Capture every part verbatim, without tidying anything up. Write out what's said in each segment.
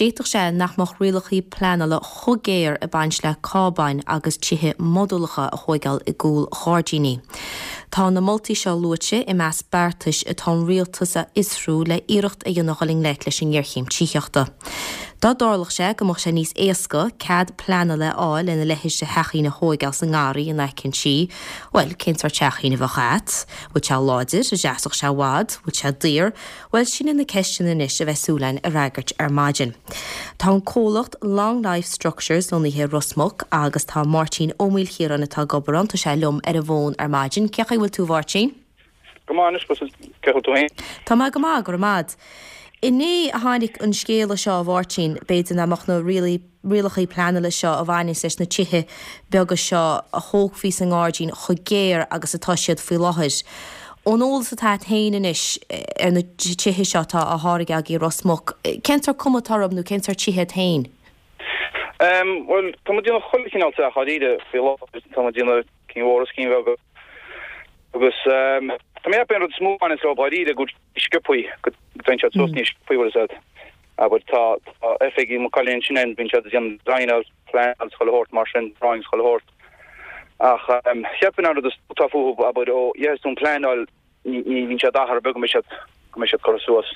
D'fhéadfadh sé nach mbeadh rialacha pleanála chomh géar ag baint le cábáin agus tithe modúlacha a thógáil i gcúl gairdíní. Tá na moltaí seo luaite i measc beartais atá an rialtas a fhiosrú le iarracht a dhéanamh dul i ngleic leis an ngéarchéim tithíochta. Dá dtarlódh sé go mbeadh sé níos éasca cead pleanála a fháil lena leithéid de theachín a thógáil sa ngarraí in aice an tí, Well, cén sórt teachín a bheadh agat? Bhfuil sé láidir, an seasfadh sé i bhfad, bhfuil sé daor, Bhuel sin na ceisteanna anois a bheidh súil againn a fhreagairt ar maidin. Tá an comhlacht Long Life Structures lonnaithe i Ros Muc agus tá Máirtín Ó Maoilchiaráin atá ag obair ann tá sé liom ar an bhfón ar maidin. Cén chaoi a bhfuil tú Mháirtín? Go maith cé tú féin? Tá mé go maith go maith. Inné a tháinig an scéala seo a Mháirtín b'fhéidir nach mbeadh na rialacha pleanála seo a bhaineann leis na tithe beaga seo a thógfaí sa ngairdín chomh géar agus atá siad faoi láthair. Ón eolas atá féin anois ar na tithe seo atá á dtógáil i Ros Muc, cén sórt cuma atá orthu nó cén sórt tithe féin? Um, well tá muid ag déanamh chuile chineál teach dáiríre faoi láthair tá muid ag déanamh cinn mhóra is cinn bheaga. Agus um, tá mé an rud is mó is le dáiríre go sciobtha go dtéann siad suas níos sciobtha said. Aber tá oifigí mo cholín sin en bíonn siad déanamh design plean chuile shórt mar sin drawings chuile shórt. Ach um, cheapann an rud tá fúthu aber ó yes an pleanáil ní bhíonn siad achar beag go mbeidh siad go mbeidh siad curtha suas.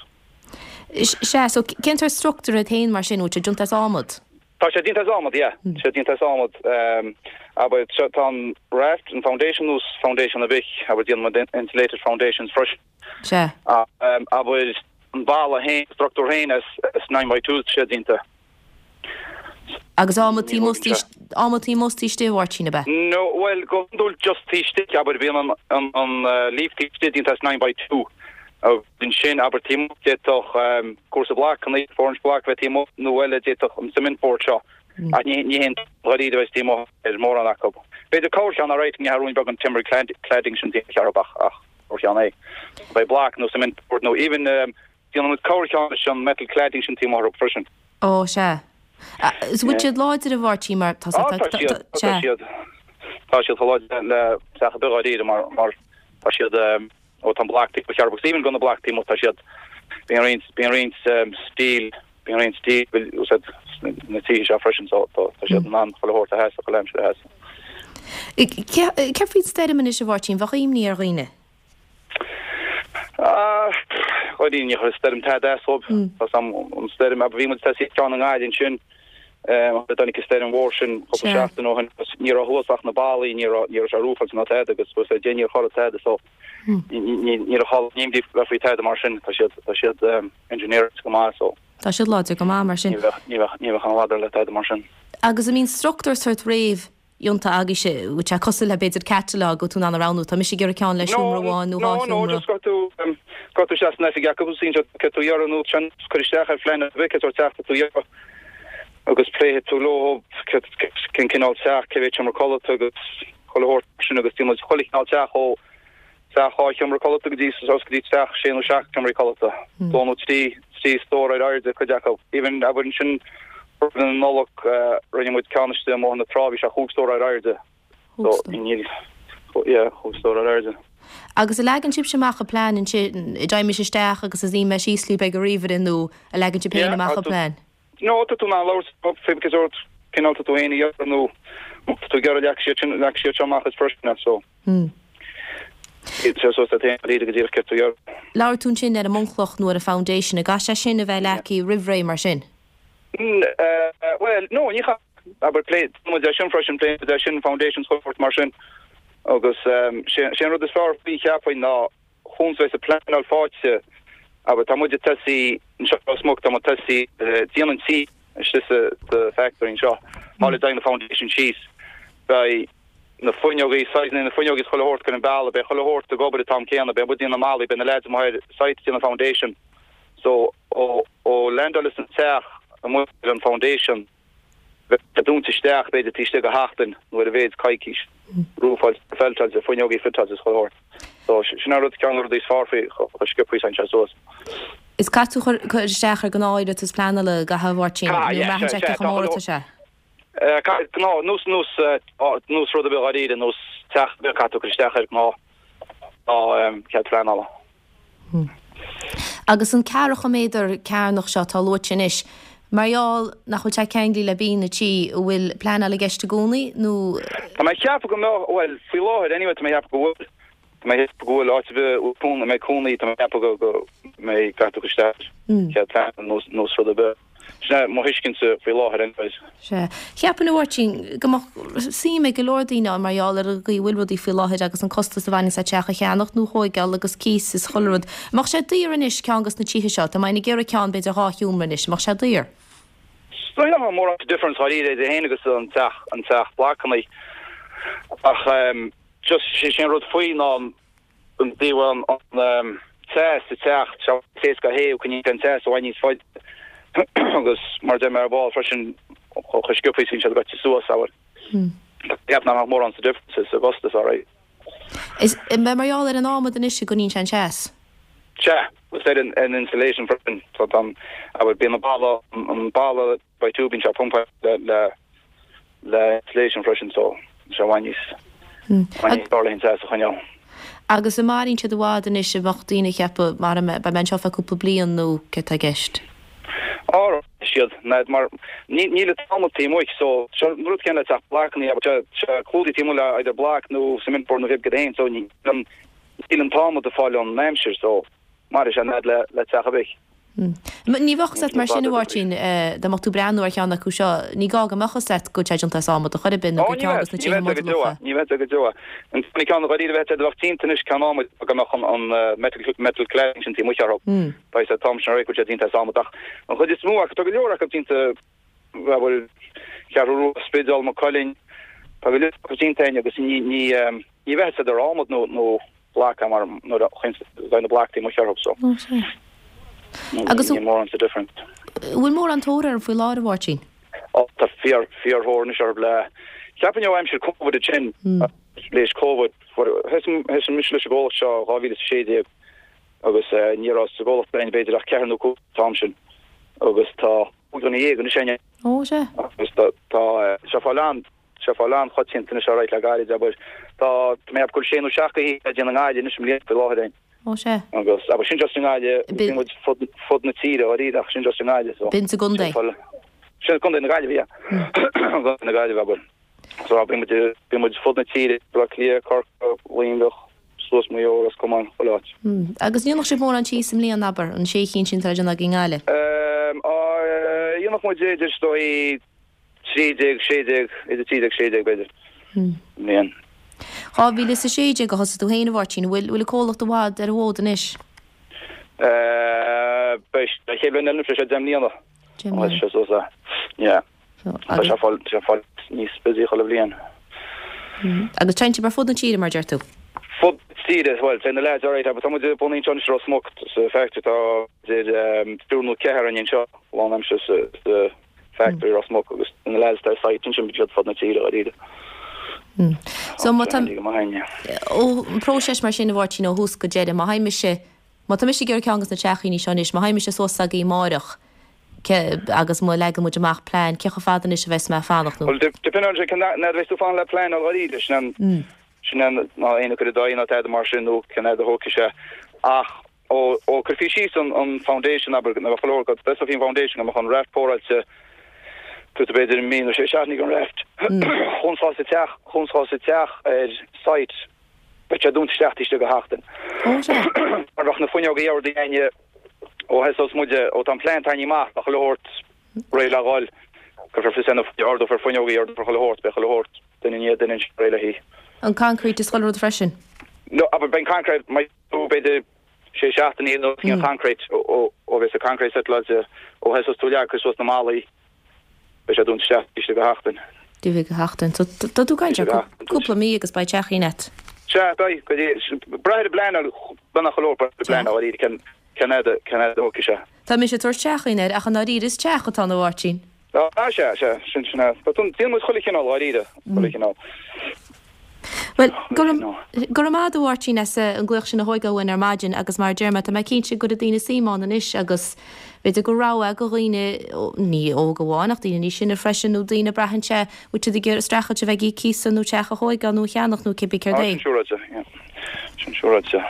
Sea so cén sórt struchtúr é féin mar sin bhfuil sé déanta as adhmad? Tá sé déanta as adhmad, yeah. sé déanta as adhmad um, aber tá an raft an foundation nós foundation a bich aber déanann insulated foundations freisin. Sea. Um, aber an balla féin struchtúr féin is, is nine by two sé déanta. Agus adhmad adhmad taobh istigh Mháirtín ab ea? No, well go dúil just taobh aber bhíonn an an an uh, leaf taobh déanta as nine by two. Din sin aber tí d'fhéadfadh um, cúrsa block an four inch block bheith taobh nó eile d'fhéadfadh an cement board seo. Mm. Ach ní ní haon dáiríre bheith taobh ar mórán acu. B'fhéidir corrcheann a réit ní haún beag an timber cladding sin chearbach ach corrcheann é. Beidh block nó cement board nó even um, déanann corrcheann sin metal cladding sin taobh freisin. Ó sea. Is bhfuil siad láidir a Mháirtín mar tá siad Tá siad láidir le teach beag mar mar tá siad ó tá block chearbach even gan na block tá siad bíonn roinnt bíonn roinnt steel bíonn roinnt steel úsáid na tí seo freisin so tá siad an chuile shórt a sheas go leim a sheas. Cé faoin stoirm anois a Mháirtín bheadh imní ar dhaoine? Chuidí ní chuir stoirm tada as dóibh an stoirm a bhí ceann an gáin sin tháinig stoirm mhór sin cúpla seachtain ó shin ní raibh thuas ach na ballaí ní ní sé roofáilte ná tada agus was é níor chuir tada so ní raibh imní le faoi tada mar sin tá siad tá siad engineered go maith so. Tá siad láidir go maith mar sin. Ní bheadh an ladar le tada mar sin. Agus a mbíonn struchtúr sort réamhdhéanta agaibh sé sé cosúil le b'fhéidir catalog go tú an roghnú tá mise ag iarraidh ceann le seomra amháin nó dhá No go tú go tú seas na acu sin ce tú iarraidh nó sin chur isteach ar phlean bheith teach tú iarraidh agus pléifidh tú leo cén cineál teach cé mhéad seomra codlata agus chuile shórt sin agus déanann chuile chineál teach ó teach dhá sheomra codlata go dtí go dtí teach sé nó seacht seomraí codlata. Dó nó trí trí stór ar airde cuid acu. Even aber sin an Nollag rinne muid ceann istigh amuigh na trá bhí sé chúig stór ar airde. So níl yeah chúig stór ar airde. Agus a leagann sibh amach an plean ansin i dtaimis isteach agus a zí me síslí be go ríomhaire nó a leagann sibh féin amach an plean. No tá tú ná labhairt fé sórt cineál tú féin iarraidh nó tú ag iarraidh leag siad sin leag siad seo amach is freisin so. Hmm. So so tá go díreach tú iarraidh. Labhair tú sin ar an mbunchloch nó ar a foundation a gcaithfidh sé sin a bheith leagtha roimh ré mar sin. Well no ní aber plé mu sin freisin plé de sin foundation support mar sin agus sé an rud is fearr faoi cheapfainn ná chun a pleanáil faighte aber tá muid tosaithe anseo smug tá tosaithe déanamh tí sa the factory seo Má le na foundation síos beidh na fuinneogaí na fuinneogaí chuile shórt an balla beidh chuile shórt ag obair an t-am céanna beidh muid na malaí beidh na lads mar site déanamh foundation so ó ó landáil an teach amuigh an foundation dúnta isteach b'fhéidir taobh istigh de sheachtain nó ar a mhéad coicís roofáilte feilteáilte fuinneogaí fiteáilte chuile shórt so sin an rud ceann rudaí is fearr faoi chomh sciobtha san sé suas. Is caithfidh tú chur isteach ar ghnáth-iarratas pleanála gach Mháirtín nó sé chomórta sé. Ná nós nós nós rud a bheith dáiríre nós teach beag caithfidh tú cur isteach ar ná ná cead pleanála. Agus an ceathracha méadar cearnach seo tá luaite anois, Mar gheall nach bhfuil sé ceangailte le binn na tí, an bhfuil pleanáil i gceist i gcónaí nó? Tá mé ag ceapadh go mbeadh, bhuel, faoi láthair anyway tá mé ag ceapadh go bhfuil. Tá mé ag ceapadh go bhfuil áit ar bith a mbeidh cónaí, tá mé ag ceapadh go go mbeidh caithfidh tú isteach cead pleanála nó nó rud ar bith. Sin é mo thuiscintse faoi láthair anyways. Sea. Cheapfainn a Mháirtín go mbeadh suim ag go leor daoine ann mar gheall ar an gcaoi a bhfuil rudaí faoi láthair agus an costas a bhaineanns le teach a cheannacht nó a thóigeáil agus cíos is chuile rud. An mbeadh sé daor anois ceann dos na tithe seo? Tá mé ag iarraidh ceann b'fhéidir dhá sheomra anois. An mbeadh sé daor? Is dóigh nach mbeadh mórán difference dháiríre idir é féin agus an teach an teach blocanna ach just sé sin rud faoi ná an an dtaobh an an teas sa teach sé éasca a théamh coinníonn sé an teas i bhfad níos faide agus mar deir mé ar ball freisin chomh sciobtha is bhíonn siad goite suas abair. Ceapaim nach mbeadh mórán sa difference sa gcostas alright. Is mar gheall ar an adhmad anois a gcoinníonn sé an teas? Sea, agus ar an an insulation freisin so tá abair bíonn an balla an balla by two bíonn sé pumpáilte le le le insulation freisin so sé i bhfad níos i bhfad níos fearr le an teas a choinneáil. Agus an maireann siad i bhfad anois a bheadh daoine ag ceapadh mar beidh mé anseo feadh cúpla bliain nó céard tá i gceist? Á siad ná mar ní níl an t-adhmad taobh amuigh so seo an rud céanna le teach blocanna abair sé sé clúdaithe taobh amuigh le either block nó cement board nó cibé cad é so níl an níl an t-adhmad ag fáil ón aimsir so mairfidh sé an fhad le le teach ar bith. Ní bheadh set mar sin a Mháirtín dá mbeadh tú ag breathnú ar cheann acu seo, ní gá go mbeadh set go bhfuil sé déanta as adhmad a chor ar bith nó Ó gur ní ceann bheadh dos na ní tithe bheadh go deo modúlacha. ní bheadh go deo. An t-aon ceann dháiríre a bheadh a bheadh déanta anois ceann adhmaid go mbeadh an an metal metal cladding sin taobh amuigh orthu. Beidh sé t-am sin réidh go bhfuil sé déanta as adhmad ach an chuid is mó acu tá go leor acu déanta bhfuil Ceathrú Rua Spidéal Maigh Cuilinn tá go leor acu déanta againn agus ní ní ní bheadh siad ar adhmad nó nó block mar nuair a chuireann na block taobh amuigh orthu so. Ó sea. Agus Níl mórán sa difference. bhfuil mórán tóir air faoi láthair a Mháirtín? Ó tá fíor fíorthóir anois orthu le cheapfainn ó aimsir Covid sin leis Covid thosaigh mise leis an gcomhlacht seo dhá mhíle is a sé déag agus ní raibh sa gcomhlacht againn b'fhéidir ach ceathair nó cúig an t-am sin agus tá cúig dhuine dhéag anois againn. Ó sea. Agus tá tá sé fáil an sé fáil an-choitianta anois alright le gairid abair tá tá mé ag ceapadh go bhfuil sé nó seacht de thithe le déanamh i nGaillimh anois i mbliana faoi láthair againn. Ó sea. Agus abair sin just i nGaillimh bhí muid fud fud na tíre dháiríre ach sin just i nGaillimh so. B'in sa gcontae. Sin contae na Gaillimhe yeah. Contae na Gaillimhe abair. So bhí muid bhí muid fud na tíre Baile Átha Cliath, Corcaigh, Luimneach, suas Maigh Eo, Ros Comáin, chuile áit. Agus ndéanfadh sibh mórán tí sa mbliain abair an sé cinn sin atá le déanamh agaibh i nGaillimh? Um, dhéanfadh muid idir is dóigh trí déag, sé déag, idir trí déag, sé déag b'fhéidir. Mbliain. Dhá mhíle is a sé déag a thosaigh tú féin a Mháirtín, bhfuil bhfuil an comhlacht i bhfad ar an bhfód anois? Uh, beidh sé chéad bhliain eile anois, beidh sé deich mbliana. Deich mbliana. Sé suas é. Yeah. Tá sé fáil sé fáil níos busy chuile bhliain. Agus téann sibh ar fud na tíre mar deir tú? Fud tíre, well, téann na lads alright, but tá muid bunaithe anseo anois i Ros Muc sa factory tá idir um, triúr nó ceathrar againn anseo lánaimseartha sa, sa factory Ros Muc agus na lads ar site ansin bíonn siad fud na tíre dháiríre. So má tá go maith againn. ó an próiseas mar sin a Mháirtín ó thús go deireadh, má théim mise má tá mise ag iarraidh ceann dos na teachíní seo anois, má théim mise suas agaibh amárach agus má leagann muid amach plean, cé chomh fada anois a bheas mé ag fanacht nó? Well, depend on cén fhad a bheas tú fanacht le pleanáil dháiríre, sin an sin an ná aon chur i dtaobh ná tada mar sin nó cén fhad a thógfaidh sé ach ó ó cuirfí síos an an foundation abair na bheadh leor go dtosófaí an foundation go mbeadh an raft póráilte tú b'fhéidir mí nó sé seachtainí don raft chun sa teach chun sa teach ar site beidh sé dúnta isteach taobh istigh de sheachtain. Ó sea. Mar bheadh na fuinneoga ardaithe againne ó thosós muid ó tá an plean tarraingthe amach bheadh chuile shórt réidh le dhul cuirfear fios ar na ardófar fuinneoga ardófar chuile shórt beidh chuile shórt duine i ndiaidh duine réidh le hí. An concrete is chuile rud freisin? No, abair beidh concrete má b'fhéidir sé seachtainí nó an concrete ó ó bheas an concrete settláilte ó thosós tú leag suas na ballaí beidh sé dúnta isteach taobh istigh de sheachtain. Taobh istigh de sheachtain. So tá tú ag caint ar cúpla mí agus beidh teachín agat. Sea, beidh go dtí brath ar an bpleanáil beanna chuile brath ar an bpleanáil dháiríre cén cén fhad cén fhad a thógfaidh sé. Tá mise ag tabhairt teachín air ach i ndáiríre is teach atá ann a Mháirtín. Á sea sea sin sin é. Tá déanann muid chuile chineál dháiríre chuile chineál. Well go raibh maith agat a Mháirtín as an glaoch sin a thógáil uainn ar maidin agus mar a deir mé tá mé cinnte go bhfuil daoine suim ann anois agus b'fhéidir gur rogha do dhaoine ní óg amháin ach daoine níos sine freisin nó daoine braitheann sé bhfuil siad ag iarraidh streachailt a bheith ag íoc cíosa nó teach a thógáil nó a cheannach nó cibé céard Á é. sin siúráilte, yeah. Sin siúráilte.